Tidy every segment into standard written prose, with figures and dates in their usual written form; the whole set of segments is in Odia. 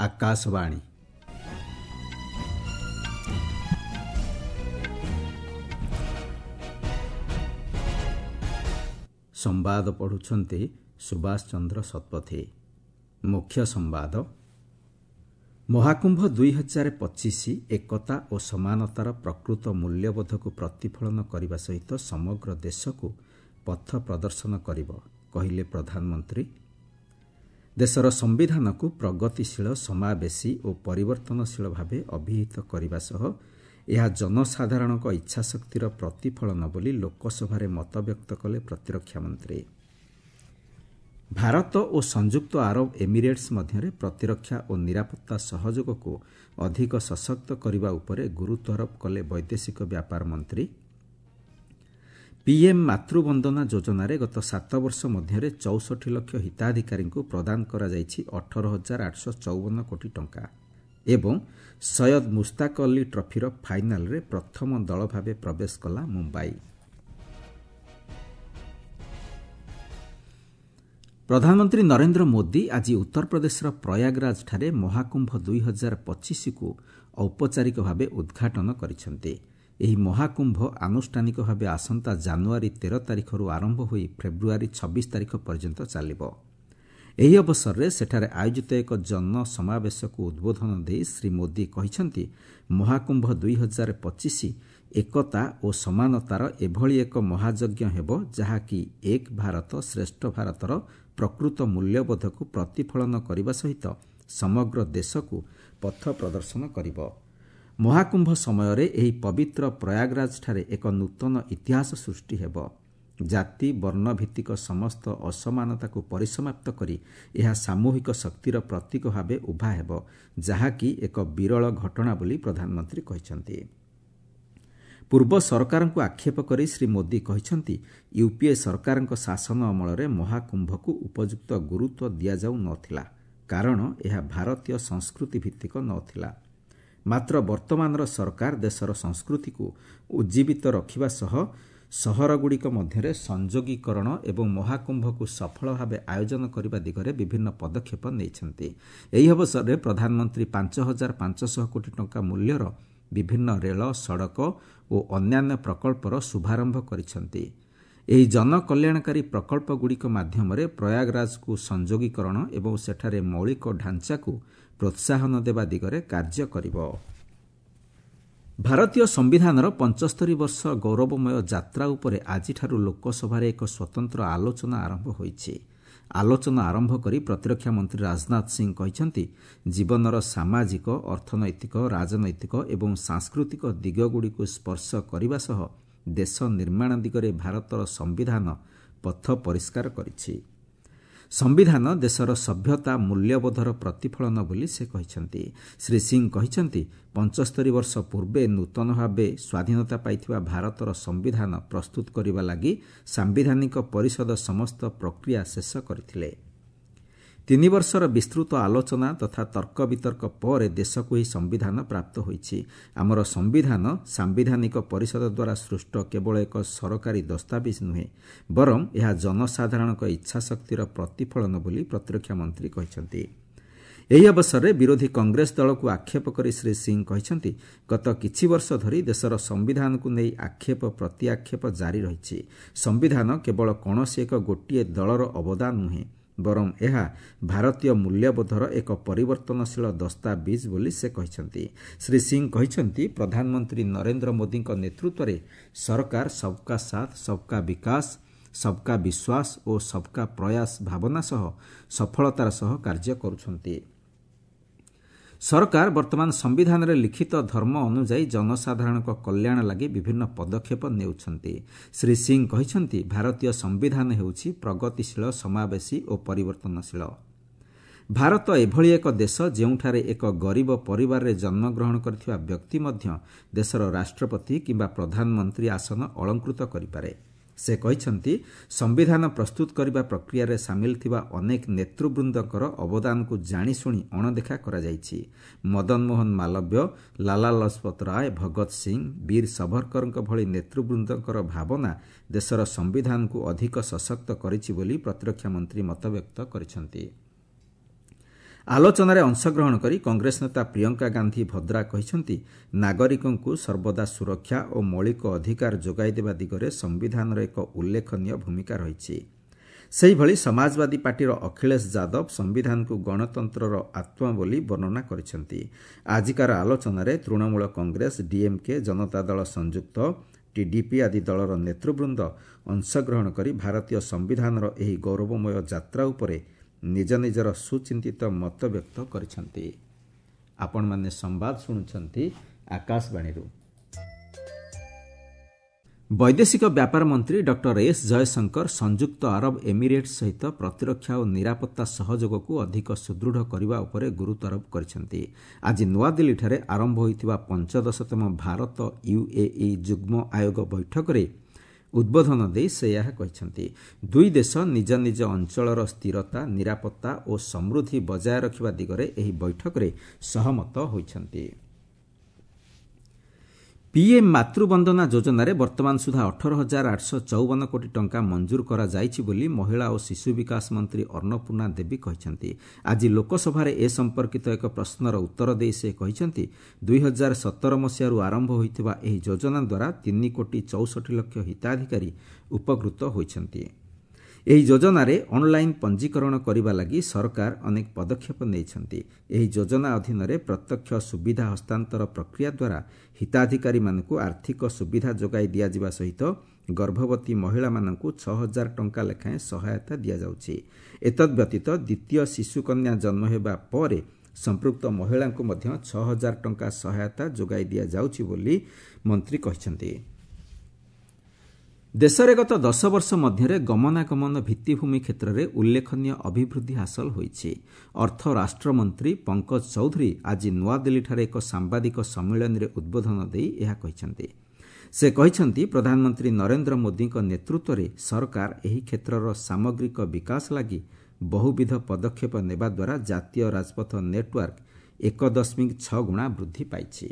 ଆକାଶବାଣୀ। ସମ୍ବାଦ ପଢ଼ୁଛନ୍ତି ସୁଭାଷ ଚନ୍ଦ୍ର ଶତପଥୀ। ମୁଖ୍ୟ ସମ୍ବାଦ। ମହାକୁମ୍ଭ 2025 ଏକତା ଓ ସମାନତାର ପ୍ରକୃତ ମୂଲ୍ୟବୋଧକୁ ପ୍ରତିଫଳନ କରିବା ସହିତ ସମଗ୍ର ଦେଶକୁ ପଥ ପ୍ରଦର୍ଶନ କରିବ, କହିଲେ ପ୍ରଧାନମନ୍ତ୍ରୀ। ଦେଶର ସମ୍ବିଧାନକୁ ପ୍ରଗତିଶୀଳ, ସମାବେଶୀ ଓ ପରିବର୍ତ୍ତନଶୀଳ ଭାବେ ଅଭିହିତ କରିବା ସହ ଏହା ଜନସାଧାରଣଙ୍କ ଇଚ୍ଛାଶକ୍ତିର ପ୍ରତିଫଳନ ବୋଲି ଲୋକସଭାରେ ମତବ୍ୟକ୍ତ କଲେ ପ୍ରତିରକ୍ଷା ମନ୍ତ୍ରୀ। ଭାରତ ଓ ସଂଯୁକ୍ତ ଆରବ ଏମିରେଟ୍ସ ମଧ୍ୟରେ ପ୍ରତିରକ୍ଷା ଓ ନିରାପତ୍ତା ସହଯୋଗକୁ ଅଧିକ ସଶକ୍ତ କରିବା ଉପରେ ଗୁରୁତ୍ୱାରୋପ କଲେ ବୈଦେଶିକ ବ୍ୟାପାର ମନ୍ତ୍ରୀ। ପିଏମ୍ ମାତୃବନ୍ଦନା ଯୋଜନାରେ ଗତ 7 ବର୍ଷ ମଧ୍ୟରେ 64 ଲକ୍ଷ ହିତାଧିକାରୀଙ୍କୁ ପ୍ରଦାନ କରାଯାଇଛି 18,854 କୋଟି ଟଙ୍କା। ଏବଂ ସୟଦ ମୁସ୍ତାକ ଅଲ୍ଲୀ ଟ୍ରଫିର ଫାଇନାଲ୍ରେ ପ୍ରଥମ ଦଳ ଭାବେ ପ୍ରବେଶ କଲା ମୁମ୍ବାଇ। ପ୍ରଧାନମନ୍ତ୍ରୀ ନରେନ୍ଦ୍ର ମୋଦି ଆଜି ଉତ୍ତରପ୍ରଦେଶର ପ୍ରୟାଗରାଜଠାରେ ମହାକୁମ୍ଭ 2025କୁ ଔପଚାରିକ ଭାବେ ଉଦ୍ଘାଟନ କରିଛନ୍ତି। ଏହି ମହାକୁମ୍ଭ ଆନୁଷ୍ଠାନିକ ଭାବେ ଆସନ୍ତା ଜାନୁଆରୀ 13 ତାରିଖରୁ ଆରମ୍ଭ ହୋଇ ଫେବୃଆରୀ 26 ତାରିଖ ପର୍ଯ୍ୟନ୍ତ ଚାଲିବ। ଏହି ଅବସରରେ ସେଠାରେ ଆୟୋଜିତ ଏକ ଜନସମାବେଶକୁ ଉଦ୍ବୋଧନ ଦେଇ ଶ୍ରୀ ମୋଦି କହିଛନ୍ତି, ମହାକୁମ୍ଭ 2025 ଏକତା ଓ ସମାନତାର ଏଭଳି ଏକ ମହାଯଜ୍ଞ ହେବ, ଯାହାକି ଏକ ଭାରତ ଶ୍ରେଷ୍ଠ ଭାରତର ପ୍ରକୃତ ମୂଲ୍ୟବୋଧକୁ ପ୍ରତିଫଳନ କରିବା ସହିତ ସମଗ୍ର ଦେଶକୁ ପଥ ପ୍ରଦର୍ଶନ କରିବ। ମହାକୁମ୍ଭ ସମୟରେ ଏହି ପବିତ୍ର ପ୍ରୟାଗରାଜଠାରେ ଏକ ନୂତନ ଇତିହାସ ସୃଷ୍ଟି ହେବ। ଜାତି, ବର୍ଣ୍ଣଭିତ୍ତିକ ସମସ୍ତ ଅସମାନତାକୁ ପରିସମାପ୍ତ କରି ଏହା ସାମୂହିକ ଶକ୍ତିର ପ୍ରତୀକ ଭାବେ ଉଭା ହେବ, ଯାହାକି ଏକ ବିରଳ ଘଟଣା ବୋଲି ପ୍ରଧାନମନ୍ତ୍ରୀ କହିଛନ୍ତି। ପୂର୍ବ ସରକାରଙ୍କୁ ଆକ୍ଷେପ କରି ଶ୍ରୀ ମୋଦି କହିଛନ୍ତି, ୟୁପିଏ ସରକାରଙ୍କ ଶାସନ ଅମଳରେ ମହାକୁମ୍ଭକୁ ଉପଯୁକ୍ତ ଗୁରୁତ୍ୱ ଦିଆଯାଉ ନ ଥିଲା, କାରଣ ଏହା ଭାରତୀୟ ସଂସ୍କୃତି ଭିତ୍ତିକ ନ ଥିଲା। ମାତ୍ର ବର୍ତ୍ତମାନର ସରକାର ଦେଶର ସଂସ୍କୃତିକୁ ଉଜ୍ଜୀବିତ ରଖିବା ସହ ସହରଗୁଡ଼ିକ ମଧ୍ୟରେ ସଂଯୋଗୀକରଣ ଏବଂ ମହାକୁମ୍ଭକୁ ସଫଳ ଭାବେ ଆୟୋଜନ କରିବା ଦିଗରେ ବିଭିନ୍ନ ପଦକ୍ଷେପ ନେଇଛନ୍ତି। ଏହି ଅବସରରେ ପ୍ରଧାନମନ୍ତ୍ରୀ 5500 କୋଟି ଟଙ୍କା ମୂଲ୍ୟର ବିଭିନ୍ନ ରେଳ, ସଡ଼କ ଓ ଅନ୍ୟାନ୍ୟ ପ୍ରକଳ୍ପର ଶୁଭାରମ୍ଭ କରିଛନ୍ତି। ଏହି ଜନକଲ୍ୟାଣକାରୀ ପ୍ରକଳ୍ପଗୁଡ଼ିକ ମାଧ୍ୟମରେ ପ୍ରୟାଗରାଜକୁ ସଂଯୋଗୀକରଣ ଏବଂ ସେଠାରେ ମୌଳିକ ଢାଞ୍ଚାକୁ ପ୍ରୋତ୍ସାହନ ଦେବା ଦିଗରେ କାର୍ଯ୍ୟ କରିବ। ଭାରତୀୟ ସମ୍ବିଧାନର 75 ବର୍ଷ ଗୌରବମୟ ଯାତ୍ରା ଉପରେ ଆଜିଠାରୁ ଲୋକସଭାରେ ଏକ ସ୍ୱତନ୍ତ୍ର ଆଲୋଚନା ଆରମ୍ଭ ହୋଇଛି। ଆଲୋଚନା ଆରମ୍ଭ କରି ପ୍ରତିରକ୍ଷା ମନ୍ତ୍ରୀ ରାଜନାଥ ସିଂ କହିଛନ୍ତି, ଜୀବନର ସାମାଜିକ, ଅର୍ଥନୈତିକ, ରାଜନୈତିକ ଏବଂ ସାଂସ୍କୃତିକ ଦିଗଗୁଡ଼ିକୁ ସ୍ପର୍ଶ କରିବା ସହ ଦେଶ ନିର୍ମାଣ ଦିଗରେ ଭାରତର ସମ୍ବିଧାନ ପଥ ପରିଷ୍କାର କରିଛି। ସମ୍ବିଧାନ ଦେଶର ସଭ୍ୟତା ମୂଲ୍ୟବୋଧର ପ୍ରତିଫଳନ ବୋଲି ସେ କହିଛନ୍ତି। ଶ୍ରୀ ସିଂ କହିଛନ୍ତି, 75 ବର୍ଷ ପୂର୍ବେ ନୂତନ ଭାବେ ସ୍ୱାଧୀନତା ପାଇଥିବା ଭାରତର ସମ୍ବିଧାନ ପ୍ରସ୍ତୁତ କରିବା ଲାଗି ସାମ୍ବିଧାନିକ ପରିଷଦ ସମସ୍ତ ପ୍ରକ୍ରିୟା ଶେଷ କରିଥିଲେ। 3 ବର୍ଷର ବିସ୍ତୃତ ଆଲୋଚନା ତଥା ତର୍କ ବିତର୍କ ପରେ ଦେଶକୁ ଏହି ସମ୍ବିଧାନ ପ୍ରାପ୍ତ ହୋଇଛି। ଆମର ସମ୍ବିଧାନ ସାମ୍ବିଧାନିକ ପରିଷଦ ଦ୍ୱାରା ସୃଷ୍ଟ କେବଳ ଏକ ସରକାରୀ ଦସ୍ତାବିଜ ନୁହେଁ, ବରଂ ଏହା ଜନସାଧାରଣଙ୍କ ଇଚ୍ଛାଶକ୍ତିର ପ୍ରତିଫଳନ ବୋଲି ପ୍ରତିରକ୍ଷା ମନ୍ତ୍ରୀ କହିଛନ୍ତି। ଏହି ଅବସରରେ ବିରୋଧୀ କଂଗ୍ରେସ ଦଳକୁ ଆକ୍ଷେପ କରି ଶ୍ରୀ ସିଂ କହିଛନ୍ତି, ଗତ କିଛି ବର୍ଷ ଧରି ଦେଶର ସମ୍ବିଧାନକୁ ନେଇ ଆକ୍ଷେପ ପ୍ରତିଆକ୍ଷେପ ଜାରି ରହିଛି। ସମ୍ବିଧାନ କେବଳ କୌଣସି ଏକ ଗୋଟିଏ ଦଳର ଅବଦାନ ନୁହେଁ, ବରଂ ଏହା ଭାରତୀୟ ମୂଲ୍ୟବୋଧର ଏକ ପରିବର୍ତ୍ତନଶୀଳ ଦସ୍ତାବିଜ ବୋଲି ସେ କହିଛନ୍ତି। ଶ୍ରୀ ସିଂ କହିଛନ୍ତି, ପ୍ରଧାନମନ୍ତ୍ରୀ ନରେନ୍ଦ୍ର ମୋଦିଙ୍କ ନେତୃତ୍ୱରେ ସରକାର ସବକା ସାଥ, ସବକା ବିକାଶ, ସବକା ବିଶ୍ୱାସ ଓ ସବକା ପ୍ରୟାସ ଭାବନା ସହ ସଫଳତାର ସହ କାର୍ଯ୍ୟ କରୁଛନ୍ତି। ସରକାର ବର୍ତ୍ତମାନ ସମ୍ବିଧାନରେ ଲିଖିତ ଧର୍ମ ଅନୁଯାୟୀ ଜନସାଧାରଣଙ୍କ କଲ୍ୟାଣ ଲାଗି ବିଭିନ୍ନ ପଦକ୍ଷେପ ନେଉଛନ୍ତି। ଶ୍ରୀ ସିଂ କହିଛନ୍ତି, ଭାରତୀୟ ସମ୍ବିଧାନ ହେଉଛି ପ୍ରଗତିଶୀଳ, ସମାବେଶୀ ଓ ପରିବର୍ତ୍ତନଶୀଳ। ଭାରତ ଏଭଳି ଏକ ଦେଶ ଯେଉଁଠାରେ ଏକ ଗରିବ ପରିବାରରେ ଜନ୍ମଗ୍ରହଣ କରିଥିବା ବ୍ୟକ୍ତି ମଧ୍ୟ ଦେଶର ରାଷ୍ଟ୍ରପତି କିମ୍ବା ପ୍ରଧାନମନ୍ତ୍ରୀ ଆସନ ଅଳଙ୍କୃତ କରିପାରେ। ସେ କହିଛନ୍ତି, ସମ୍ବିଧାନ ପ୍ରସ୍ତୁତ କରିବା ପ୍ରକ୍ରିୟାରେ ସାମିଲ ଥିବା ଅନେକ ନେତୃବୃନ୍ଦଙ୍କର ଅବଦାନକୁ ଜାଣିଶୁଣି ଅଣଦେଖା କରାଯାଇଛି। ମଦନମୋହନ ମାଲବ୍ୟ, ଲାଲା ଲଜପତ ରାୟ, ଭଗତ ସିଂ, ବୀର ସଭରକରଙ୍କ ଭଳି ନେତୃବୃନ୍ଦଙ୍କର ଭାବନା ଦେଶର ସମ୍ବିଧାନକୁ ଅଧିକ ସଶକ୍ତ କରିଛି ବୋଲି ପ୍ରତିରକ୍ଷା ମନ୍ତ୍ରୀ ମତବ୍ୟକ୍ତ କରିଛନ୍ତି। ଆଲୋଚନାରେ ଅଂଶଗ୍ରହଣ କରି କଂଗ୍ରେସ ନେତା ପ୍ରିୟଙ୍କା ଗାନ୍ଧୀ ଭଦ୍ରା କହିଛନ୍ତି, ନାଗରିକଙ୍କୁ ସର୍ବଦା ସୁରକ୍ଷା ଓ ମୌଳିକ ଅଧିକାର ଯୋଗାଇଦେବା ଦିଗରେ ସମ୍ବିଧାନର ଏକ ଉଲ୍ଲେଖନୀୟ ଭୂମିକା ରହିଛି। ସେହିଭଳି ସମାଜବାଦୀ ପାର୍ଟିର ଅଖିଳେଶ ଯାଦବ ସମ୍ବିଧାନକୁ ଗଣତନ୍ତ୍ରର ଆତ୍ମା ବୋଲି ବର୍ଣ୍ଣନା କରିଛନ୍ତି। ଆଜିକାର ଆଲୋଚନାରେ ତୃଣମୂଳ କଂଗ୍ରେସ, ଡିଏମ୍କେ, ଜନତା ଦଳ ସଂଯୁକ୍ତ, ଟିଡିପି ଆଦି ଦଳର ନେତୃବୃନ୍ଦ ଅଂଶଗ୍ରହଣ କରି ଭାରତୀୟ ସମ୍ବିଧାନର ଏହି ଗୌରବମୟ ଯାତ୍ରା ଉପରେ ନିଜ ନିଜର ସୁଚିନ୍ତିତ ମତବ୍ୟକ୍ତ କରିଛନ୍ତି। ଆପଣମାନେ ସମ୍ବାଦ ଶୁଣୁଛନ୍ତି ଆକାଶବାଣୀରୁ। ବୈଦେଶିକ ବ୍ୟାପାର ମନ୍ତ୍ରୀ ଡକ୍ଟର ଏସ୍ ଜୟଶଙ୍କର ସଂଯୁକ୍ତ ଆରବ ଏମିରେଟ୍ସ ସହିତ ପ୍ରତିରକ୍ଷା ଓ ନିରାପତ୍ତା ସହଯୋଗକୁ ଅଧିକ ସୁଦୃଢ଼ କରିବା ଉପରେ ଗୁରୁତ୍ୱାରୋପ କରିଛନ୍ତି। ଆଜି ନୂଆଦିଲ୍ଲୀଠାରେ ଆରମ୍ଭ ହୋଇଥିବା 15ତମ ଭାରତ ୟୁଏଇ ଯୁଗ୍ମ ଆୟୋଗ ବୈଠକରେ ଉଦ୍ବୋଧନ ଦେଇ ସେ ଏହା କହିଛନ୍ତି। ଦୁଇ ଦେଶ ନିଜ ନିଜ ଅଞ୍ଚଳର ସ୍ଥିରତା, ନିରାପତ୍ତା ଓ ସମୃଦ୍ଧି ବଜାୟ ରଖିବା ଦିଗରେ ଏହି ବୈଠକରେ ସହମତ ହୋଇଛନ୍ତି। ପିଏମ୍ ମାତୃବନ୍ଦନା ଯୋଜନାରେ ବର୍ତ୍ତମାନ ସୁଦ୍ଧା 18,854 କୋଟି ଟଙ୍କା ମଞ୍ଜୁର କରାଯାଇଛି ବୋଲି ମହିଳା ଓ ଶିଶୁ ବିକାଶ ମନ୍ତ୍ରୀ ଅନ୍ନପୂର୍ଣ୍ଣା ଦେବୀ କହିଛନ୍ତି। ଆଜି ଲୋକସଭାରେ ଏ ସମ୍ପର୍କିତ ଏକ ପ୍ରଶ୍ନର ଉତ୍ତର ଦେଇ ସେ କହିଛନ୍ତି, 2017 ମସିହାରୁ ଆରମ୍ଭ ହୋଇଥିବା ଏହି ଯୋଜନା ଦ୍ୱାରା 3 କୋଟି 64 ଲକ୍ଷ ହିତାଧିକାରୀ ଉପକୃତ ହୋଇଛନ୍ତି। ଏହି ଯୋଜନାରେ ଅନ୍ଲାଇନ୍ ପଞ୍ଜୀକରଣ କରିବା ଲାଗି ସରକାର ଅନେକ ପଦକ୍ଷେପ ନେଇଛନ୍ତି। ଏହି ଯୋଜନା ଅଧୀନରେ ପ୍ରତ୍ୟକ୍ଷ ସୁବିଧା ହସ୍ତାନ୍ତର ପ୍ରକ୍ରିୟା ଦ୍ୱାରା ହିତାଧିକାରୀମାନଙ୍କୁ ଆର୍ଥିକ ସୁବିଧା ଯୋଗାଇ ଦିଆଯିବା ସହିତ ଗର୍ଭବତୀ ମହିଳାମାନଙ୍କୁ 6,000 ଟଙ୍କା ଲେଖାଏଁ ସହାୟତା ଦିଆଯାଉଛି। ଏତଦ୍ବ୍ୟତୀତ ଦ୍ୱିତୀୟ ଶିଶୁକନ୍ୟା ଜନ୍ମ ହେବା ପରେ ସମ୍ପୃକ୍ତ ମହିଳାଙ୍କୁ ମଧ୍ୟ 6,000 ଟଙ୍କା ସହାୟତା ଯୋଗାଇ ଦିଆଯାଉଛି ବୋଲି ମନ୍ତ୍ରୀ କହିଛନ୍ତି। ଦେଶରେ ଗତ 10 ବର୍ଷ ମଧ୍ୟରେ ଗମନାଗମନ ଭିତ୍ତିଭୂମି କ୍ଷେତ୍ରରେ ଉଲ୍ଲେଖନୀୟ ଅଭିବୃଦ୍ଧି ହାସଲ ହୋଇଛି। ଅର୍ଥ ରାଷ୍ଟ୍ରମନ୍ତ୍ରୀ ପଙ୍କଜ ଚୌଧୁରୀ ଆଜି ନୂଆଦିଲ୍ଲୀଠାରେ ଏକ ସାମ୍ବାଦିକ ସମ୍ମିଳନୀରେ ଉଦ୍ବୋଧନ ଦେଇ ଏହା କହିଛନ୍ତି। ସେ କହିଛନ୍ତି, ପ୍ରଧାନମନ୍ତ୍ରୀ ନରେନ୍ଦ୍ର ମୋଦିଙ୍କ ନେତୃତ୍ୱରେ ସରକାର ଏହି କ୍ଷେତ୍ରର ସାମଗ୍ରିକ ବିକାଶ ଲାଗି ବହୁବିଧ ପଦକ୍ଷେପ ନେବା ଦ୍ୱାରା ଜାତୀୟ ରାଜପଥ ନେଟୱାର୍କ 1.6 ଗୁଣା ବୃଦ୍ଧି ପାଇଛି।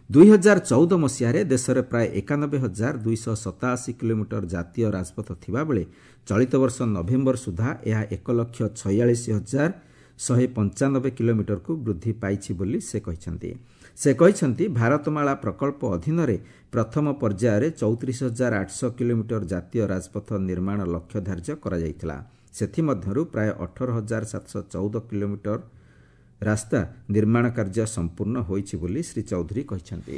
2014 ମସିହାରେ ଦେଶରେ ପ୍ରାୟ 91,287 କିଲୋମିଟର ଜାତୀୟ ରାଜପଥ ଥିବାବେଳେ ଚଳିତ ବର୍ଷ ନଭେମ୍ବର ସୁଦ୍ଧା ଏହା 1,46,195 କିଲୋମିଟରକୁ ବୃଦ୍ଧି ପାଇଛି ବୋଲି ସେ କହିଛନ୍ତି। ସେ କହିଛନ୍ତି, ଭାରତମାଳା ପ୍ରକଳ୍ପ ଅଧୀନରେ ପ୍ରଥମ ପର୍ଯ୍ୟାୟରେ 34,800 କିଲୋମିଟର ଜାତୀୟ ରାଜପଥ ନିର୍ମାଣ ଲକ୍ଷ୍ୟ ଧାର୍ଯ୍ୟ କରାଯାଇଥିଲା। ସେଥିମଧ୍ୟରୁ ପ୍ରାୟ 18,714 କିଲୋମିଟର ରାସ୍ତା ନିର୍ମାଣ କାର୍ଯ୍ୟ ସମ୍ପୂର୍ଣ୍ଣ ହୋଇଛି ବୋଲି ଶ୍ରୀ ଚୌଧୁରୀ କହିଛନ୍ତି।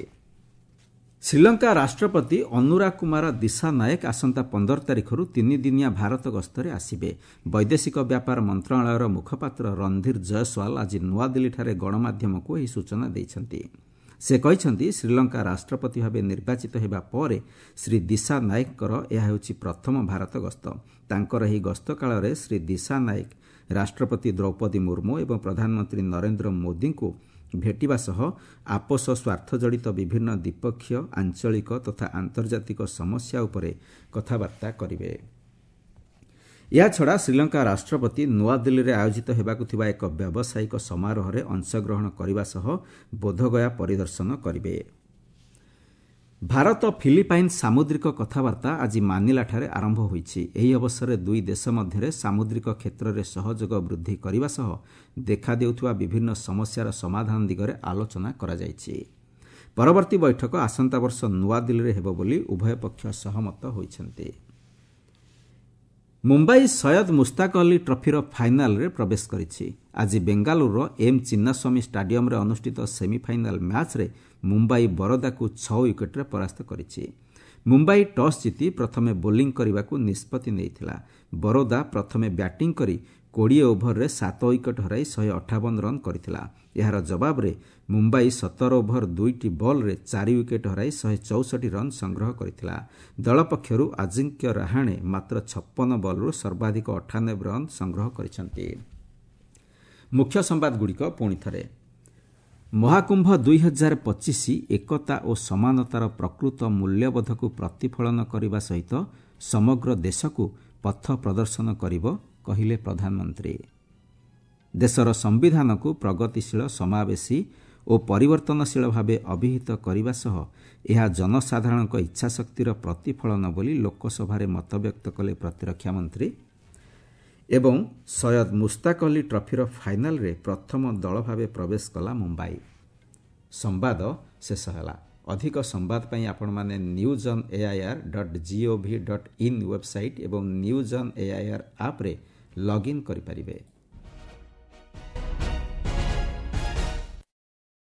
ଶ୍ରୀଲଙ୍କା ରାଷ୍ଟ୍ରପତି ଅନୁରା କୁମାର ଦିଶାନାୟକ ଆସନ୍ତା 15 ତାରିଖରୁ 3 ଦିନିଆ ଭାରତ ଗସ୍ତରେ ଆସିବେ। ବୈଦେଶିକ ବ୍ୟାପାର ମନ୍ତ୍ରଣାଳୟର ମୁଖପାତ୍ର ରଣଧୀର ଜୟସ୍ୱାଲ ଆଜି ନୂଆଦିଲ୍ଲୀଠାରେ ଗଣମାଧ୍ୟମକୁ ଏହି ସୂଚନା ଦେଇଛନ୍ତି। ସେ କହିଛନ୍ତି, ଶ୍ରୀଲଙ୍କା ରାଷ୍ଟ୍ରପତି ଭାବେ ନିର୍ବାଚିତ ହେବା ପରେ ଶ୍ରୀ ଦିଶାନାୟକଙ୍କର ଏହା ହେଉଛି ପ୍ରଥମ ଭାରତ ଗସ୍ତ। ତାଙ୍କର ଏହି ଗସ୍ତ କାଳରେ ଶ୍ରୀ ଦିଶାନାୟକ ରାଷ୍ଟ୍ରପତି ଦ୍ରୌପଦୀ ମୁର୍ମୁ ଏବଂ ପ୍ରଧାନମନ୍ତ୍ରୀ ନରେନ୍ଦ୍ର ମୋଦିଙ୍କୁ ଭେଟିବା ସହ ଆପୋଷ ସ୍ୱାର୍ଥଜଡ଼ିତ ବିଭିନ୍ନ ଦ୍ୱିପକ୍ଷୀୟ, ଆଞ୍ଚଳିକ ତଥା ଆନ୍ତର୍ଜାତିକ ସମସ୍ୟା ଉପରେ କଥାବାର୍ତ୍ତା କରିବେ। ଏହାଛଡ଼ା ଶ୍ରୀଲଙ୍କା ରାଷ୍ଟ୍ରପତି ନୂଆଦିଲ୍ଲୀରେ ଆୟୋଜିତ ହେବାକୁ ଥିବା ଏକ ବ୍ୟାବସାୟିକ ସମାରୋହରେ ଅଂଶଗ୍ରହଣ କରିବା ସହ ବୋଧଗୟା ପରିଦର୍ଶନ କରିବେ। ଭାରତ ଫିଲିପାଇନ୍ ସାମୁଦ୍ରିକ କଥାବାର୍ତ୍ତା ଆଜି ମାନିଲାଠାରେ ଆରମ୍ଭ ହୋଇଛି। ଏହି ଅବସରରେ ଦୁଇ ଦେଶ ମଧ୍ୟରେ ସାମୁଦ୍ରିକ କ୍ଷେତ୍ରରେ ସହଯୋଗ ବୃଦ୍ଧି କରିବା ସହ ଦେଖାଦେଉଥିବା ବିଭିନ୍ନ ସମସ୍ୟାର ସମାଧାନ ଦିଗରେ ଆଲୋଚନା କରାଯାଇଛି। ପରବର୍ତ୍ତୀ ବୈଠକ ଆସନ୍ତା ବର୍ଷ ନୂଆଦିଲ୍ଲୀରେ ହେବ ବୋଲି ଉଭୟ ପକ୍ଷ ସହମତ ହୋଇଛନ୍ତି। ମୁମ୍ବାଇ ସୟଦ ମୁସ୍ତାକ ଅଲ୍ଲୀ ଟ୍ରଫିର ଫାଇନାଲ୍ରେ ପ୍ରବେଶ କରିଛି। ଆଜି ବେଙ୍ଗାଲୁରୁର ଏମ୍ ଚିନ୍ନାସ୍ୱାମୀ ଷ୍ଟାଡିୟମ୍ରେ ଅନୁଷ୍ଠିତ ସେମିଫାଇନାଲ୍ ମ୍ୟାଚ୍ରେ ମୁମ୍ବାଇ ବରୋଦାକୁ 6 ୱିକେଟ୍ରେ ପରାସ୍ତ କରିଛି। ମୁମ୍ବାଇ ଟସ୍ ଜିତି ପ୍ରଥମେ ବୋଲିଂ କରିବାକୁ ନିଷ୍ପତ୍ତି ନେଇଥିଲା। ବରୋଦା ପ୍ରଥମେ ବ୍ୟାଟିଂ କରି 20 ଓଭରରେ 7 ୱିକେଟ୍ ହରାଇ 158 ରନ୍ କରିଥିଲା। ଏହାର ଜବାବରେ ମୁମ୍ବାଇ 17 ଓଭର 2ଟି ବଲ୍ରେ 4 ୱିକେଟ୍ ହରାଇ 164 ରନ୍ ସଂଗ୍ରହ କରିଥିଲା। ଦଳ ପକ୍ଷରୁ ଆଜିଙ୍କ୍ୟ ରାହାଣେ ମାତ୍ର 56 ବଲ୍ରୁ ସର୍ବାଧିକ 98 ରନ୍ ସଂଗ୍ରହ କରିଛନ୍ତି। ମୁଖ୍ୟ ସମ୍ବାଦଗୁଡ଼ିକ ପୁଣି ଥରେ। ମହାକୁମ୍ଭ 2025 ଏକତା ଓ ସମାନତାର ପ୍ରକୃତ ମୂଲ୍ୟବୋଧକୁ ପ୍ରତିଫଳନ କରିବା ସହିତ ସମଗ୍ର ଦେଶକୁ ପଥ ପ୍ରଦର୍ଶନ କରିବ, କହିଲେ ପ୍ରଧାନମନ୍ତ୍ରୀ। ଦେଶର ସମ୍ବିଧାନକୁ ପ୍ରଗତିଶୀଳ, ସମାବେଶୀ ଓ ପରିବର୍ତ୍ତନଶୀଳ ଭାବେ ଅଭିହିତ କରିବା ସହ ଏହା ଜନସାଧାରଣଙ୍କ ଇଚ୍ଛାଶକ୍ତିର ପ୍ରତିଫଳନ ବୋଲି ଲୋକସଭାରେ ମତବ୍ୟକ୍ତ କଲେ ପ୍ରତିରକ୍ଷା ମନ୍ତ୍ରୀ। ଏବଂ ସୟଦ ମୁସ୍ତାକ ଅଲ୍ଲୀ ଟ୍ରଫିର ଫାଇନାଲ୍ରେ ପ୍ରଥମ ଦଳ ଭାବେ ପ୍ରବେଶ କଲା ମୁମ୍ବାଇ। ସମ୍ବାଦ ଶେଷ ହେଲା। ଅଧିକ ସମ୍ବାଦ ପାଇଁ ଆପଣମାନେ news on AIR dot gov dot in website ଏବଂ ନ୍ୟୁଜ୍ ଅନ୍ ଏଆଇଆର୍ ଆପ୍ରେ ଲଗ୍ଇନ୍ କରିପାରିବେ।